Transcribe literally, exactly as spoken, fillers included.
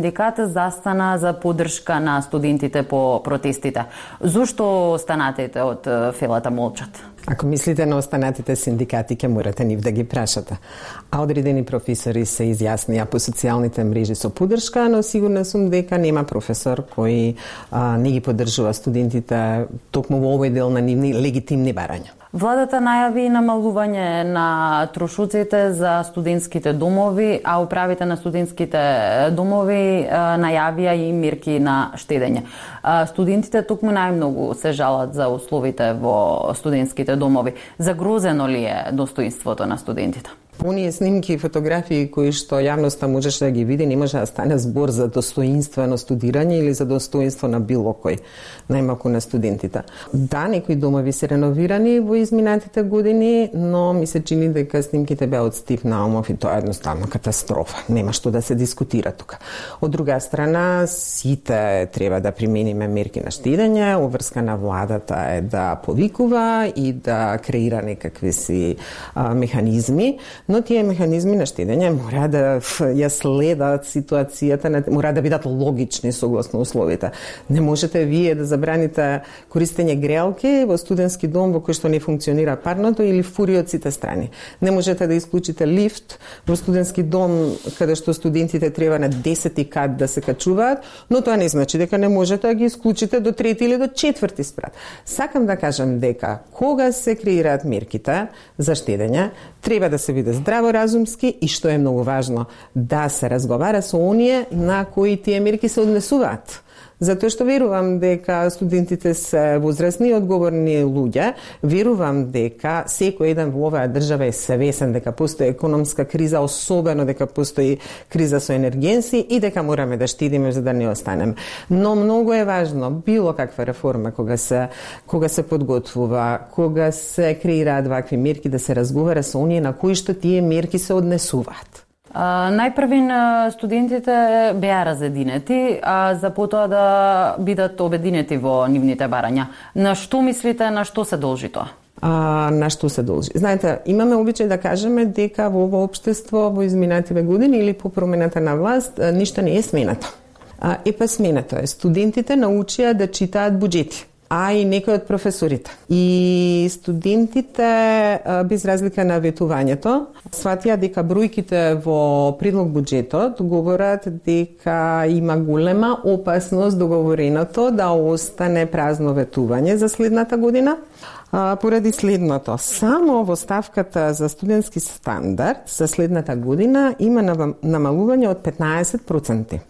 Синдикатот застана за поддршка на студентите по протестите. Зошто останатите од Фелата молчат? Ако мислите на останатите синдикати, ќе морате нив да ги прашате. А одредени професори се изјаснија по социјалните мрежи со поддршка, но сигурна сум дека нема професор кој а, не ги поддржува студентите токму во овој дел на нивни легитимни барања. Владата најави намалување на трошоците за студентските домови, а управите на студентските домови а, најавија и мерки на штедење. А, студентите токму најмногу се жалат за условите во студентските домови. Загрозено ли е достоинството на студентите? Оние снимки и фотографии кои што јавноста можеше да ги види, не може да стане збор за достоинствено студирање или за достоинство на било кој, најмалку на студентите. Да, некои домови се реновирани во изминатите години, но ми се чини дека снимките беа од Стив Наумов и тоа е едноставно катастрофа. Нема што да се дискутира тука. Од друга страна, сите треба да примениме мерки на штедење, обврска на владата е да повикува и да креира некакви си а, механизми, но тие механизми на штедење мора да ја следат ситуацијата, мора да бидат логични согласно условите. Не можете вие да забраните користење греалки во студентски дом во кој што не функционира парното или фури од сите страни. Не можете да исклучите лифт во студентски дом каде што студентите треба на десети кат да се качуваат, но тоа не значи дека не можете да ги исклучите до трети или до четврти спрат. Сакам да кажам дека кога се креираат мерките за штедење, треба да се биде здраворазумски и, што е многу важно, да се разговара со оние на кои тие мерки се однесуваат. Затоа што верувам дека студентите се возрастни и одговорни луѓе, верувам дека секој еден во оваа држава е свесен дека постои економска криза, особено дека постои криза со енергенси и дека мораме да штедиме за да не останеме. Но многу е важно било каква реформа кога се кога се подготвува, кога се креираат вакви мерки, да се разговара со оние на кои што тие мерки се однесуваат. Uh, најпрвин студентите беа разединети, а за потоа да бидат обединети во нивните барања. На што мислите, на што се должи тоа? А, на што се должи? Знаете, имаме обичај да кажеме дека во ово општество во изминативе години или по промената на власт ништо не е сменато. А, е па сменато е. Студентите научија да читаат буџети, а и некои од професорите. И студентите, без разлика на ветувањето, сватија дека бројките во предлог буџетот говорат дека има голема опасност договореното да остане празно ветување за следната година. А, поради следното, само во ставката за студентски стандард за следната година има намалување од петнаесет проценти.